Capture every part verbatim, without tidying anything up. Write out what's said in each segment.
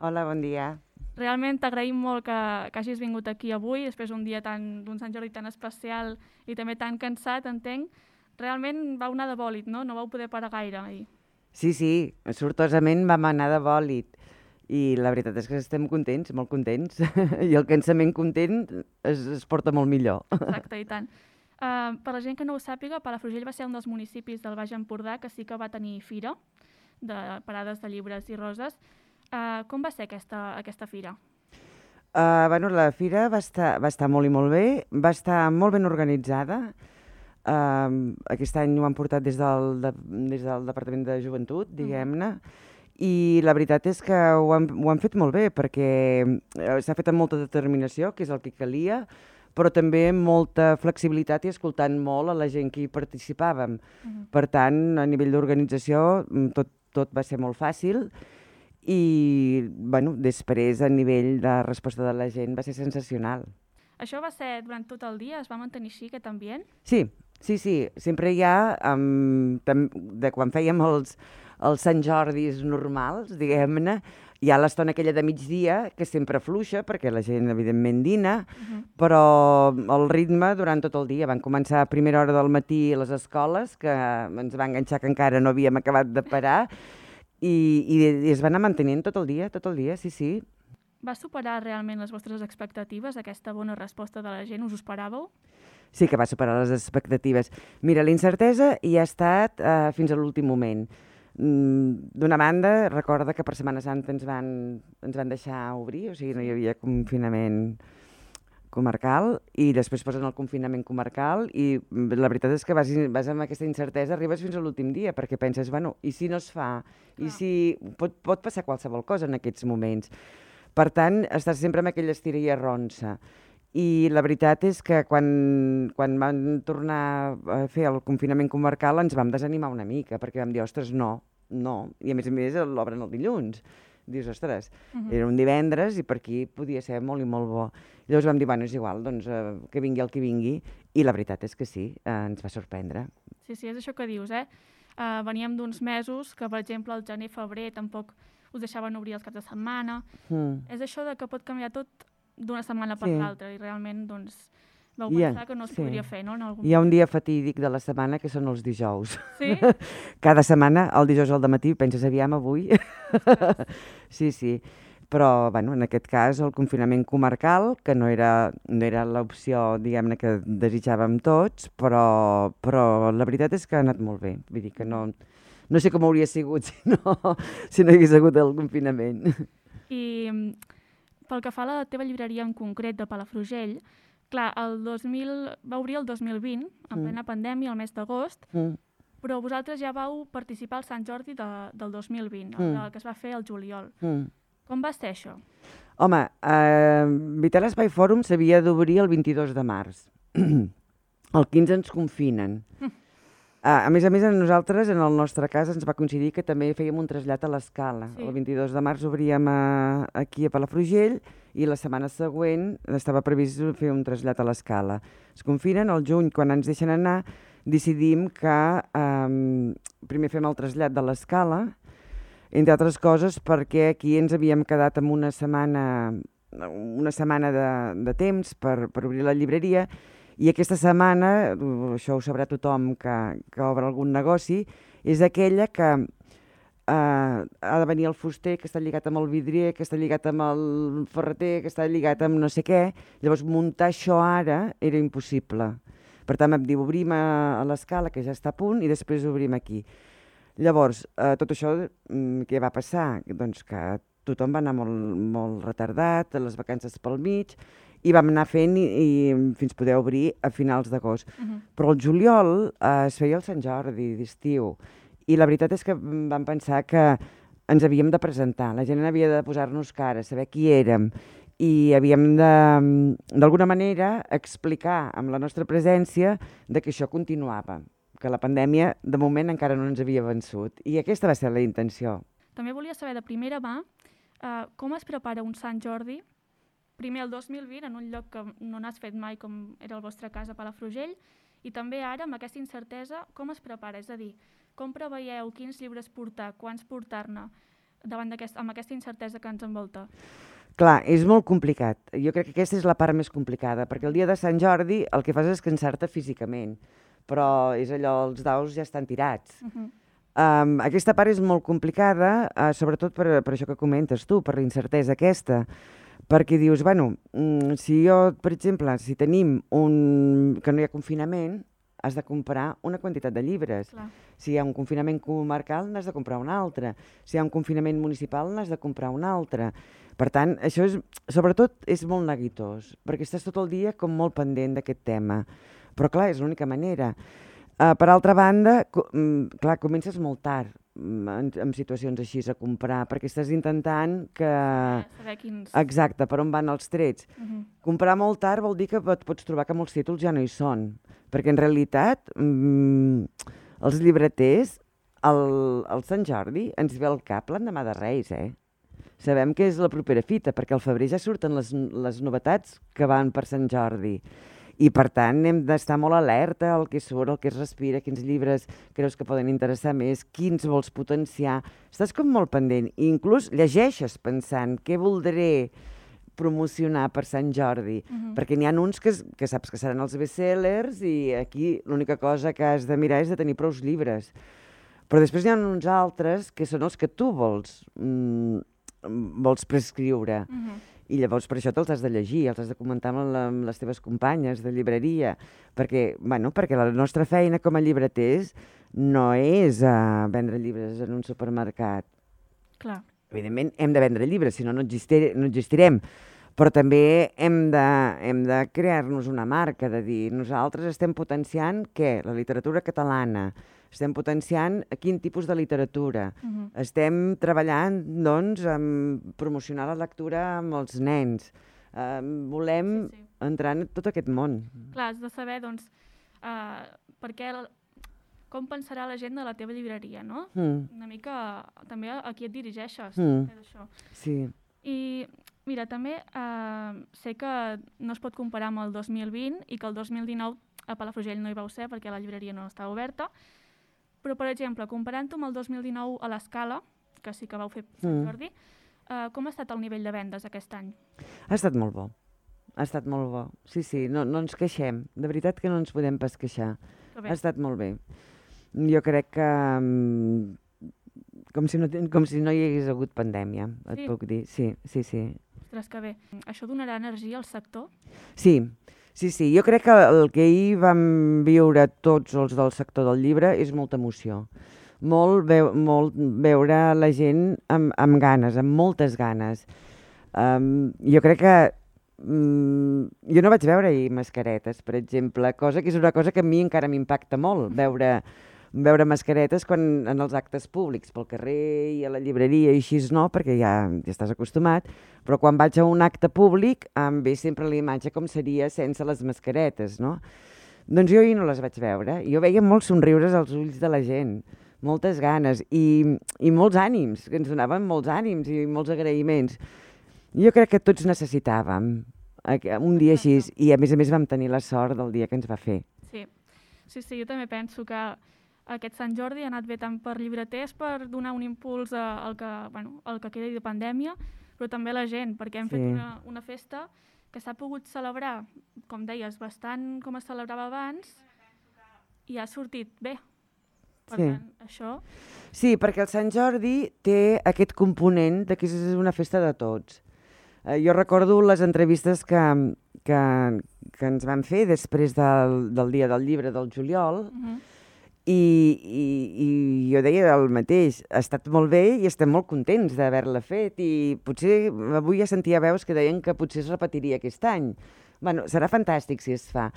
Hola, bon dia. Realment t'agraïm molt que, que hagis vingut aquí avui, després d'un dia tan d'un Sant Jordi tan especial i també tan cansat, entenc. Realment vau anar de bòlit, no? No vau poder parar gaire ahir. Sí, sí, sortosament vam anar de bòlit i la veritat és que estem contents, molt contents, i el cansament content es, es porta molt millor. Exacte, i tant. Uh, per la gent que no ho sàpiga, Palafrugell va ser un dels municipis del Baix Empordà que sí que va tenir fira de parades de llibres i roses. Uh, com va ser aquesta, aquesta fira? Uh, bueno, la fira va estar, va estar molt i molt bé, va estar molt ben organitzada. Uh, aquest any ho han portat des del, de, des del Departament de Joventut, diguem-ne, i la veritat és que ho han, ho han fet molt bé perquè eh, s'ha fet amb molta determinació, que és el que calia, però també amb molta flexibilitat i escoltant molt a la gent que hi participàvem. Uh -huh. Per tant, a nivell d'organització tot, tot va ser molt fàcil i bueno, després a nivell de resposta de la gent va ser sensacional. Això va ser durant tot el dia? Es va mantenir així aquest ambient? Sí, sí, sí. Sempre hi ha, um, tam, de quan fèiem els, els Sant Jordis normals, diguem-ne, hi ha l'estona aquella de migdia que sempre fluixa perquè la gent evidentment dina, uh -huh. però el ritme durant tot el dia. Van començar a primera hora del matí a les escoles, que ens va enganxar que encara no havíem acabat de parar, i, i, i es va anar mantenint tot el dia, tot el dia, sí, sí. Va superar realment les vostres expectatives, aquesta bona resposta de la gent? Us ho esperàveu? Sí que va superar les expectatives. Mira, la incertesa hi ha estat eh, fins a l'últim moment. Mm, D'una banda, recorda que per Setmana Santa ens van, ens van deixar obrir, o sigui, no hi havia confinament comarcal, i després posen el confinament comarcal, i la veritat és que vas, vas amb aquesta incertesa, arribes fins a l'últim dia, perquè penses, bueno, i si no es fa? I si pot, pot passar qualsevol cosa en aquests moments? Per tant, estàs sempre amb aquella estira i arronsa. I la veritat és que quan, quan van tornar a fer el confinament comarcal ens vam desanimar una mica, perquè vam dir, ostres, no, no. I a més a més l'obren el dilluns. Dius, ostres, uh -huh. era un divendres i per aquí podia ser molt i molt bo. I llavors vam dir, bueno, és igual, doncs eh, que vingui el que vingui. I la veritat és que sí, eh, ens va sorprendre. Sí, sí, és això que dius, eh? Uh, veníem d'uns mesos que, per exemple, al gener-febrer tampoc us deixaven obrir els caps de setmana. Mm. És això de que pot canviar tot d'una setmana per sí. l'altra i realment doncs, vau pensar yeah, que no es sí. podria fer, no? En algun Hi ha un dia fatídic de la setmana que són els dijous. Sí? Cada setmana, el dijous al dematí, penses, aviam avui? Sí, sí. Però, bueno, en aquest cas, el confinament comarcal, que no era, no era l'opció, diguem-ne, que desitjàvem tots, però, però la veritat és que ha anat molt bé. Vull dir que no, no sé com hauria sigut si no, si no hi hagués hagut el confinament. I pel que fa a la teva llibreria en concret de Palafrugell, clar, el dos mil va obrir el dos mil vint, en mm. plena pandèmia, el mes d'agost, mm. però vosaltres ja vau participar al Sant Jordi de, del dos mil vint, mm. el que es va fer al juliol. Mm. Com va ser això? Home, eh, Vital Espai Fòrum s'havia d'obrir el vint-i-dos de març. El quinze ens confinen. Mm. Uh, a més a més, a nosaltres, en el nostre cas, ens va coincidir que també fèiem un trasllat a l'Escala. Sí. El vint-i-dos de març obríem a, aquí a Palafrugell i la setmana següent estava previst fer un trasllat a l'Escala. Es confinen, al juny, quan ens deixen anar, decidim que um, primer fem el trasllat de l'Escala, entre altres coses perquè aquí ens havíem quedat amb una setmana, una setmana de, de temps per, per obrir la llibreria. I aquesta setmana, això ho sabrà tothom que, que obre algun negoci, és aquella que eh, ha de venir el fuster, que està lligat amb el vidrier, que està lligat amb el ferreter, que està lligat amb no sé què. Llavors, muntar això ara era impossible. Per tant, vam dir, obrim a, a l'Escala, que ja està a punt, i després obrim aquí. Llavors, eh, tot això, què va passar? Doncs que tothom va anar molt, molt retardat, les vacances pel mig, i vam anar fent i, i fins poder obrir a finals d'agost. Uh -huh. Però el juliol eh, es feia el Sant Jordi d'estiu i la veritat és que vam pensar que ens havíem de presentar, la gent havia de posar-nos cara, saber qui érem i havíem de, d'alguna manera, explicar amb la nostra presència de que això continuava, que la pandèmia de moment encara no ens havia vençut i aquesta va ser la intenció. També volia saber de primera mà eh, com es prepara un Sant Jordi primer el dos mil vint, en un lloc que no n'has fet mai com era el vostre cas a Palafrugell, i també ara, amb aquesta incertesa, com es prepara? És a dir, com preveieu quins llibres portar, quants portar-ne? davant d'aquest, amb aquesta incertesa que ens envolta? Clar, és molt complicat. Jo crec que aquesta és la part més complicada, perquè el dia de Sant Jordi el que fas és cansar-te físicament, però és allò, els daus ja estan tirats. Uh -huh. um, aquesta part és molt complicada, uh, sobretot per, per això que comentes tu, per la incertesa aquesta, perquè dius, bueno, mm, si jo, per exemple, si tenim un... que no hi ha confinament, has de comprar una quantitat de llibres. Clar. Si hi ha un confinament comarcal, n'has de comprar un altre. Si hi ha un confinament municipal, n'has de comprar un altre. Per tant, això és, sobretot és molt neguitós, perquè estàs tot el dia com molt pendent d'aquest tema. Però clar, és l'única manera. Uh, per altra banda, co mm, clar, comences molt tard en, en situacions així a comprar, perquè estàs intentant que... Saber quins... Exacte, per on van els trets. Uh -huh. Comprar molt tard vol dir que et pots trobar que molts títols ja no hi són, perquè en realitat mm, els llibreters, el, el Sant Jordi, ens ve al cap l'endemà de Reis, eh? Sabem que és la propera fita, perquè al febrer ja surten les, les novetats que van per Sant Jordi. I, per tant, hem d'estar molt alerta al que surt, al que es respira, quins llibres creus que poden interessar més, quins vols potenciar. Estàs com molt pendent. I inclús llegeixes pensant què voldré promocionar per Sant Jordi. Uh-huh. Perquè n'hi ha uns que, que saps que seran els bestsellers i aquí l'única cosa que has de mirar és de tenir prou llibres. Però després n'hi ha uns altres que són els que tu vols, mm, vols prescriure. Uh-huh. I llavors per això te'ls has de llegir, els has de comentar amb, la, amb les teves companyes de llibreria, perquè, bueno, perquè la nostra feina com a llibreters no és uh, vendre llibres en un supermercat. Clar. Evidentment hem de vendre llibres, si no no, existir, no existirem, però també hem de, hem de crear-nos una marca, de dir, nosaltres estem potenciant què? La literatura catalana, estem potenciant quin tipus de literatura, uh-huh. estem treballant, doncs, en promocionar la lectura amb els nens, uh, volem sí, sí. entrar en tot aquest món. Clar, has de saber, doncs, uh, per què, com pensarà la gent de la teva llibreria, no? Mm. Una mica, també a qui et dirigeixes, mm. això. Sí. I, mira, també uh, sé que no es pot comparar amb el dos mil vint i que el dos mil dinou a Palafrugell no hi vau ser perquè la llibreria no estava oberta, però, per exemple, comparant-ho amb el dos mil dinou a l'Escala, que sí que vau fer Sant Jordi, mm. uh, com ha estat el nivell de vendes aquest any? Ha estat molt bo. Ha estat molt bo. Sí, sí, no, no ens queixem. De veritat que no ens podem pas queixar. Ha estat molt bé. Jo crec que um, com, si no, com si no hi hagués hagut pandèmia, et sí. puc dir. Sí, sí, sí. Ostres, que bé. Això donarà energia al sector? Sí. Sí, sí, jo crec que el que ahir vam viure tots els del sector del llibre és molta emoció. Molt, veu, molt veure la gent amb, amb ganes, amb moltes ganes. Um, jo crec que... Um, jo no vaig veure ahir mascaretes, per exemple, cosa que és una cosa que a mi encara m'impacta molt, veure, veure mascaretes quan, en els actes públics, pel carrer i a la llibreria i així no, perquè ja, ja estàs acostumat, però quan vaig a un acte públic em ve sempre la imatge com seria sense les mascaretes, no? Doncs jo ahir no les vaig veure. Jo veia molts somriures als ulls de la gent, moltes ganes i, i molts ànims, que ens donaven molts ànims i molts agraïments. Jo crec que tots necessitàvem un dia així i a més a més vam tenir la sort del dia que ens va fer. Sí, sí, sí, jo també penso que aquest Sant Jordi ha anat bé tant per llibreters per donar un impuls al que, bueno, al que quedi de pandèmia, però també a la gent, perquè hem sí. fet una, una festa que s'ha pogut celebrar, com deies, bastant com es celebrava abans i ha sortit bé. Per sí. tant, això... Sí, perquè el Sant Jordi té aquest component de que és una festa de tots. Eh, jo recordo les entrevistes que, que, que ens van fer després del, del dia del llibre del juliol, uh-huh. I, i, i jo deia el mateix, ha estat molt bé i estem molt contents d'haver-la fet i potser avui ja sentia veus que deien que potser es repetiria aquest any. Bueno, serà fantàstic si es fa,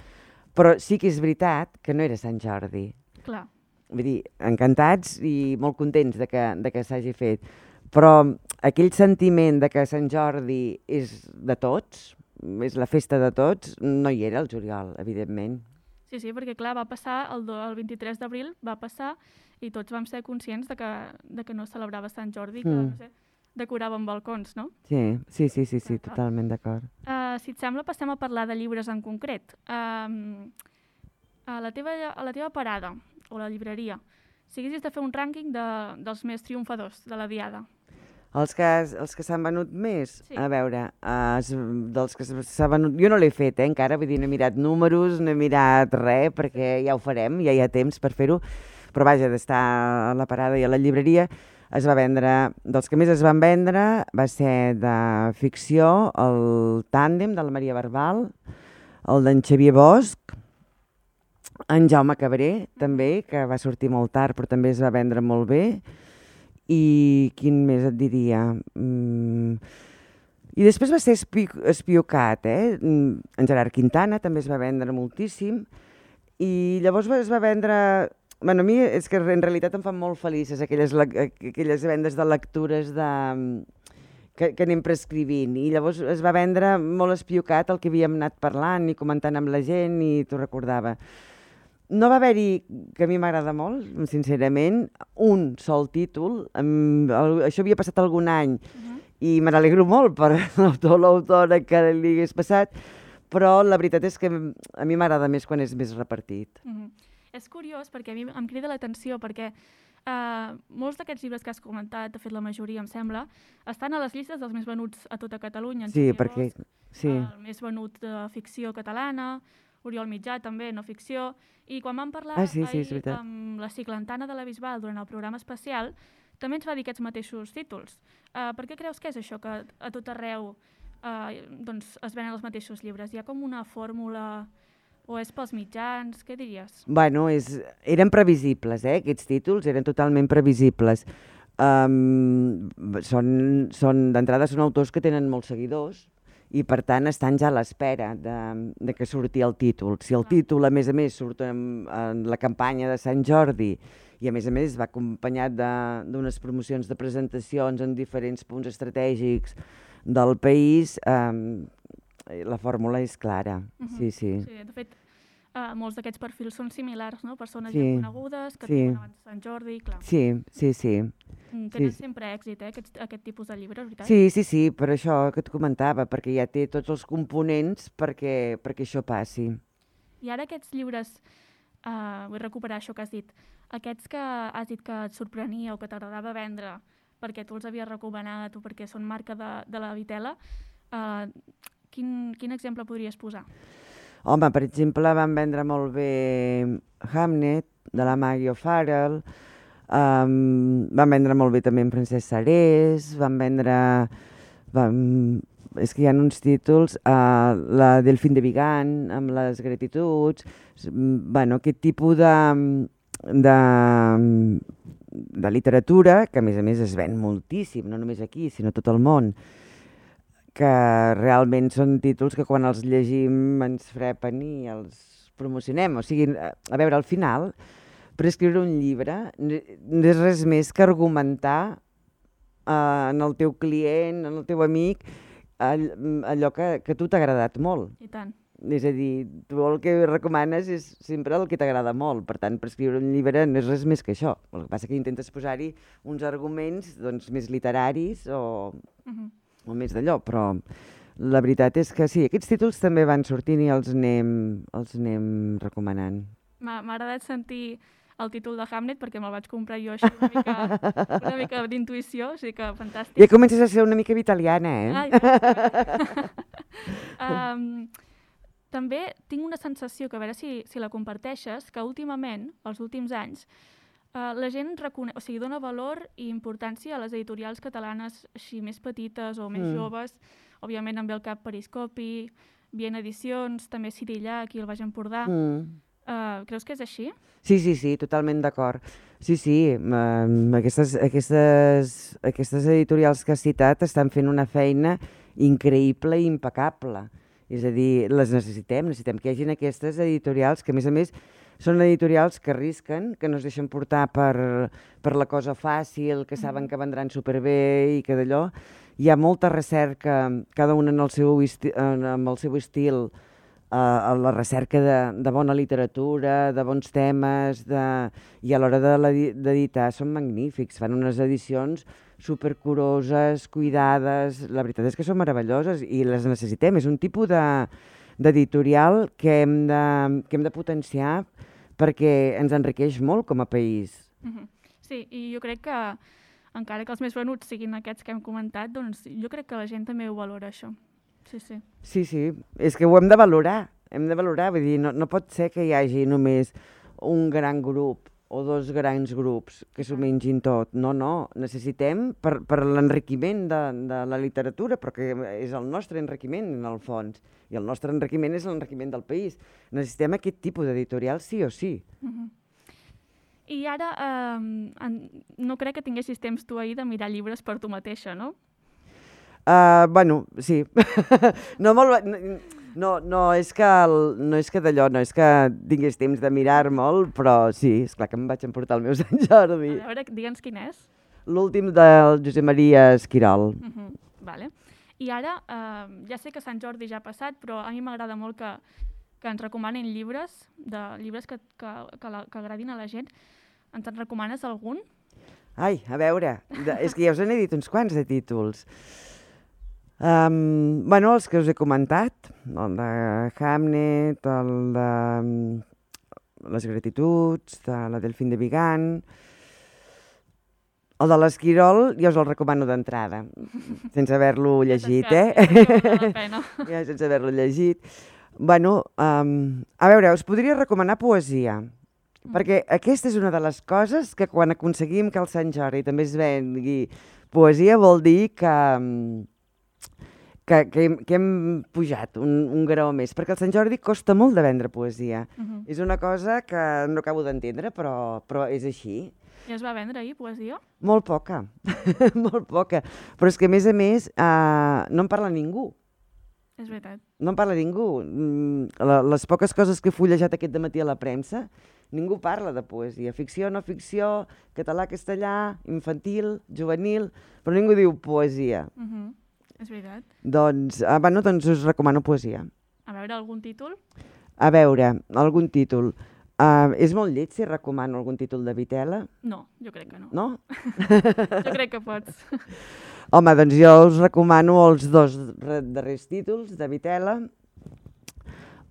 però sí que és veritat que no era Sant Jordi. Clar. Vull dir, encantats i molt contents de que, de que s'hagi fet, però aquell sentiment de que Sant Jordi és de tots, és la festa de tots, no hi era el juliol, evidentment. Sí, sí, perquè clar, va passar, el, el vint-i-tres d'abril va passar i tots vam ser conscients de que, de que no celebrava Sant Jordi, que mm. no sé, decoràvem balcons, no? Sí, sí, sí, sí, sí, totalment d'acord. Uh, si et sembla, passem a parlar de llibres en concret. Uh, a, la teva, a la teva parada, o la llibreria, si haguessis de fer un rànquing de, dels més triomfadors de la diada. Els que, els que s'han venut més? Sí. A veure, uh, dels que s'ha venut... Jo no l'he fet, eh, encara, vull dir, no he mirat números, no he mirat res, perquè ja ho farem, ja hi ha temps per fer-ho, però vaja, d'estar a la parada i a la llibreria, es va vendre, dels que més es van vendre, va ser de ficció, el Tàndem, de la Maria Barbal, el d'en Xavier Bosch, en Jaume Cabré, també, que va sortir molt tard, però també es va vendre molt bé. I quin més et diria? Mm. I després va ser espi espiocat, eh? En Gerard Quintana també es va vendre moltíssim. I llavors es va vendre... Bueno, a mi és que en realitat em fan molt felices aquelles, aquelles vendes de lectures de... que, que anem prescrivint. I llavors es va vendre molt espiocat el que havíem anat parlant i comentant amb la gent i t'ho recordava. No va haver-hi, que a mi m'agrada molt, sincerament, un sol títol. Amb, el, això havia passat algun any uh-huh. i me n'alegro molt per l'autor o l'autora que li hagués passat, però la veritat és que a mi m'agrada més quan és més repartit. Uh-huh. És curiós perquè a mi em crida l'atenció perquè uh, molts d'aquests llibres que has comentat, de fet la majoria em sembla, estan a les llistes dels més venuts a tota Catalunya. Sí, perquè... Sí. El més venut de ficció catalana, Oriol Mitjà també, no ficció, i quan vam parlar ah, sí, sí, ahir amb la Ciclantana de la Bisbal durant el programa especial, també ens va dir aquests mateixos títols. Uh, per què creus que és això, que a tot arreu uh, doncs es venen els mateixos llibres? Hi ha com una fórmula o és pels mitjans? Què diries? Bueno, és, eren previsibles, eh? Aquests títols eren totalment previsibles. Um, són, són, d'entrada són autors que tenen molts seguidors, i per tant estan ja a l'espera de, de que surti el títol. Si el títol, a més a més, surt en, en la campanya de Sant Jordi i a més a més va acompanyat d'unes promocions de presentacions en diferents punts estratègics del país, eh, la fórmula és clara. Uh-huh. Sí, sí. Sí, de fet, uh, molts d'aquests perfils són similars, no? Persones sí. ja conegudes, que sí. tenen abans de Sant Jordi, clar. Sí, sí, sí. Tenen sí. sempre èxit, eh, aquest, aquest tipus de llibres, veritat? Sí, sí, sí, per això que et comentava, perquè ja té tots els components perquè, perquè això passi. I ara aquests llibres, uh, vull recuperar això que has dit, aquests que has dit que et sorprenia o que t'agradava vendre perquè tu els havies recomanat o perquè són marca de, de la Vitela, uh, quin, quin exemple podries posar? Home, per exemple, van vendre molt bé Hamnet, de la Maggie O'Farrell, Um, van vendre molt bé també en Francesc Sarés, van vendre... Van, és que hi ha uns títols, uh, la Delfín de Vigan, amb les gratituds, bueno, aquest tipus de, de, de literatura, que a més a més es ven moltíssim, no només aquí, sinó tot el món, que realment són títols que quan els llegim ens frepen i els promocionem. O sigui, a veure, al final... Per escriure un llibre no és res més que argumentar uh, en el teu client, en el teu amic, all, allò que, que a tu t'ha agradat molt. I tant. És a dir, tu el que recomanes és sempre el que t'agrada molt. Per tant, per escriure un llibre no és res més que això. El que passa és que intentes posar-hi uns arguments doncs, més literaris o, uh-huh. o més d'allò, però la veritat és que sí, aquests títols també van sortint i els anem, els anem recomanant. M'ha agradat sentir el títol de Hamnet perquè me'l vaig comprar jo així una mica, una mica d'intuïció, o sigui que fantàstic. Ja comences a ser una mica vitaliana, eh? Ah, ja. um, també tinc una sensació, que a veure si, si la comparteixes, que últimament, els últims anys, uh, la gent recone... o sigui, dona valor i importància a les editorials catalanes així més petites o més mm. joves. Òbviament em ve al cap Periscopi, Viena Edicions, també Cirillà, aquí al Baix Empordà. Mm. Uh, creus que és així? Sí, sí, sí, totalment d'acord. Sí, sí, um, aquestes, aquestes, aquestes editorials que has citat estan fent una feina increïble i impecable. És a dir, les necessitem, necessitem que hi hagin aquestes editorials que, a més a més, són editorials que arrisquen, que no es deixen portar per, per la cosa fàcil, que saben que vendran superbé i que d'allò. Hi ha molta recerca, cada una en el seu, esti amb el seu estil, a la recerca de, de bona literatura, de bons temes, de... i a l'hora d'editar són magnífics, fan unes edicions supercuroses, cuidades, la veritat és que són meravelloses i les necessitem, és un tipus d'editorial de, que, hem de, que hem de potenciar perquè ens enriqueix molt com a país. Uh-huh. Sí, i jo crec que encara que els més venuts siguin aquests que hem comentat, doncs jo crec que la gent també ho valora, això. Sí, sí. Sí, sí, és que ho hem de valorar, hem de valorar, vull dir, no, no pot ser que hi hagi només un gran grup o dos grans grups que s'ho mengin tot. No, no, necessitem per, per l'enriquiment de, de la literatura, però que és el nostre enriquiment en el fons, i el nostre enriquiment és l'enriquiment del país. Necessitem aquest tipus d'editorial sí o sí. Uh-huh. I ara, eh, en, no crec que tinguessis temps tu ahir de mirar llibres per tu mateixa, no? Uh, bueno, sí. no, molt, no, no és que, el, no és que d'allò, no és que tingués temps de mirar molt, però sí, esclar que em vaig emportar el meu Sant Jordi. A veure, digue'ns quin és. L'últim del Josep Maria Esquirol. Uh-huh. Vale. I ara, eh, ja sé que Sant Jordi ja ha passat, però a mi m'agrada molt que, que ens recomanin llibres, de llibres que, que, que, la, que agradin a la gent. Ens en recomanes algun? Ai, a veure, de, és que ja us n'he dit uns quants de títols. Um, bueno, els que us he comentat, el de Hamnet, el de um, Les Gratituds, de la Delfín de Vigan, el de l'Esquirol ja us el recomano d'entrada, sense haver-lo llegit, eh? Ja, sense haver-lo llegit. Bueno, um, a veure, us podria recomanar poesia, mm. perquè aquesta és una de les coses que quan aconseguim que el Sant Jordi també es vengui poesia vol dir que... Um, Que, que, hem, que hem pujat un, un grau més, perquè el Sant Jordi costa molt de vendre poesia. Uh-huh. És una cosa que no acabo d'entendre, però, però és així. I es va vendre ahir poesia? Molt poca, molt poca. Però és que, a més a més, uh, no en parla ningú. És veritat. No en parla ningú. Mm, les poques coses que he fullejat aquest dematí a la premsa, ningú parla de poesia. Ficció, no ficció, català, castellà, infantil, juvenil, però ningú diu poesia. Uh-huh. És veritat. Doncs, ah, bueno, doncs us recomano poesia. A veure, algun títol? A veure, algun títol. Uh, és molt lleig si recomano algun títol de Vitela? No, jo crec que no. No? Jo crec que pots. Home, doncs jo us recomano els dos darrers títols de Vitela.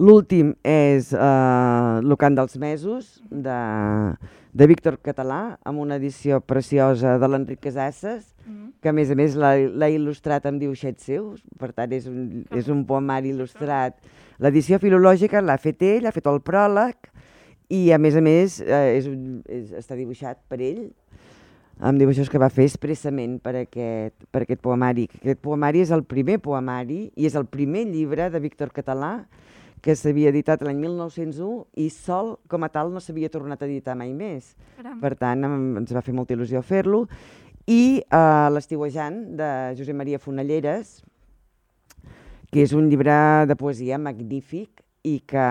L'últim és uh, Lo cant dels mesos, de, de Víctor Català, amb una edició preciosa de l'Enric Casasses, mm-hmm. que a més a més l'ha il·lustrat amb dibuixets seus, per tant és un, és un poemari il·lustrat. L'edició filològica l'ha fet ell, ha fet el pròleg, i a més a més eh, és un, és, està dibuixat per ell, amb dibuixos que va fer expressament per aquest, per aquest poemari. Aquest poemari és el primer poemari i és el primer llibre de Víctor Català que s'havia editat l'any mil nou-cents u i sol, com a tal, no s'havia tornat a editar mai més. Caram. Per tant, ens va fer molta il·lusió fer-lo. I uh, L'Estiuejant, de Josep Maria Fonalleres, que és un llibre de poesia magnífic i que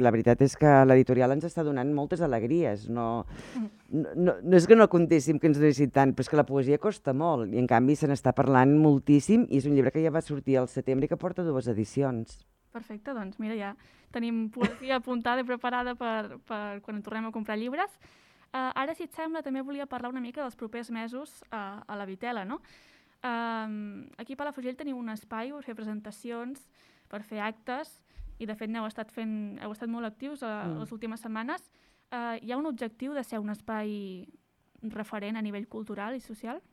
la veritat és que l'editorial ens està donant moltes alegries. No, no, no és que no contéssim que ens donessin tant, però és que la poesia costa molt i en canvi se n'està parlant moltíssim i és un llibre que ja va sortir al setembre i que porta dues edicions. Perfecte, doncs mira, ja tenim poesia apuntada i preparada per, per quan tornem a comprar llibres. Uh, ara, si et sembla, també volia parlar una mica dels propers mesos uh, a la Vitela, no? Uh, aquí a Palafrugell teniu un espai per fer presentacions, per fer actes, i de fet n'heu estat fent, heu estat molt actius a, mm. les últimes setmanes. Uh, hi ha un objectiu de ser un espai referent a nivell cultural i social?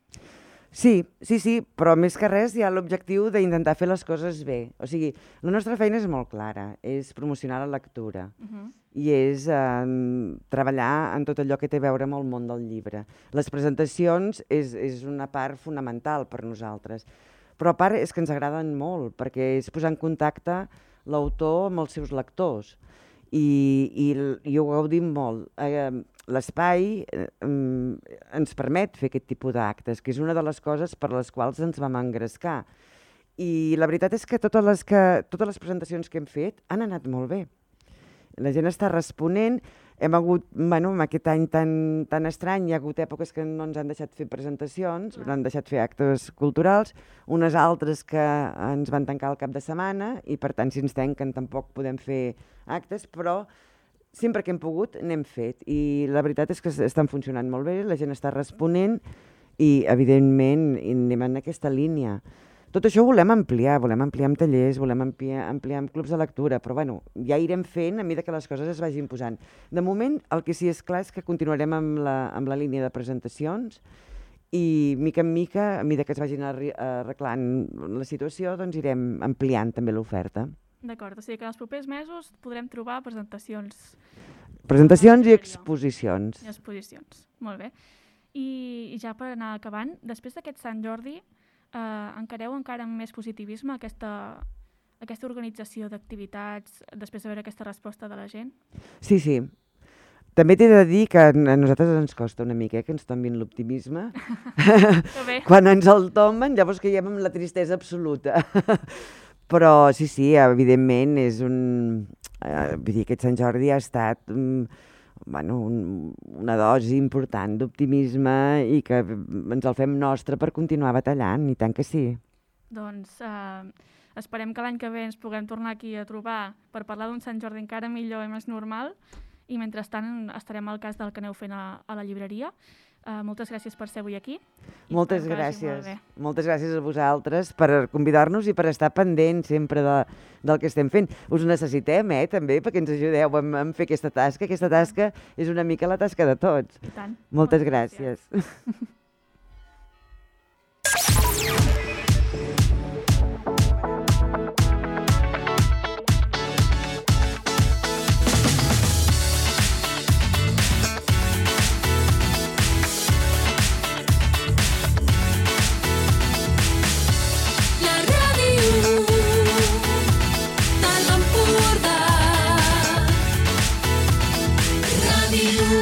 Sí, sí, sí, però més que res hi ha l'objectiu d'intentar fer les coses bé. O sigui, la nostra feina és molt clara, és promocionar la lectura uh-huh. i és eh, treballar en tot allò que té a veure amb el món del llibre. Les presentacions és, és una part fonamental per nosaltres, però a part és que ens agraden molt, perquè és posar en contacte l'autor amb els seus lectors i, i, i ho gaudim molt. Eh, L'espai eh, ens permet fer aquest tipus d'actes, que és una de les coses per les quals ens vam engrescar. I la veritat és que totes les, que, totes les presentacions que hem fet han anat molt bé. La gent està responent. Hem hagut, bueno, en aquest any tan, tan estrany, hi ha hagut èpoques que no ens han deixat fer presentacions, no han deixat fer actes culturals, unes altres que ens van tancar el cap de setmana i per tant si ens tanquen tampoc podem fer actes, però sempre que hem pogut n'hem fet i la veritat és que estan funcionant molt bé, la gent està responent i evidentment anem en aquesta línia. Tot això ho volem ampliar, volem ampliar amb tallers, volem ampliar, ampliar amb clubs de lectura, però bueno, ja irem fent a mesura que les coses es vagin posant. De moment el que sí és clar és que continuarem amb la, amb la línia de presentacions i mica en mica, a mesura que es vagin arreglant la situació, doncs irem ampliant també l'oferta. D'acord, o sigui que en els propers mesos podrem trobar presentacions. Presentacions i exposicions. I exposicions, molt bé. I ja per anar acabant, després d'aquest Sant Jordi, eh, encareu encara amb més positivisme aquesta, aquesta organització d'activitats després de veure aquesta resposta de la gent? Sí, sí. També t'he de dir que a nosaltres ens costa una mica eh, que ens tombin l'optimisme. Quan ens el tomben, llavors caiem en la tristesa absoluta. Però sí, sí, evidentment és un... Eh, vull dir, aquest Sant Jordi ha estat um, bueno, un, una dosi important d'optimisme i que ens el fem nostre per continuar batallant, i tant que sí. Doncs eh, esperem que l'any que ve ens puguem tornar aquí a trobar per parlar d'un Sant Jordi encara millor i més normal, i mentrestant estarem al cas del que aneu fent a, a la llibreria. Uh, moltes gràcies per ser avui aquí. Moltes gràcies. Moltes gràcies a vosaltres per convidar-nos i per estar pendents sempre de, del que estem fent. Us necessitem, eh, també, perquè ens ajudeu a, a fer aquesta tasca. Aquesta tasca és una mica la tasca de tots. I tant. Moltes, Moltes gràcies. gràcies. You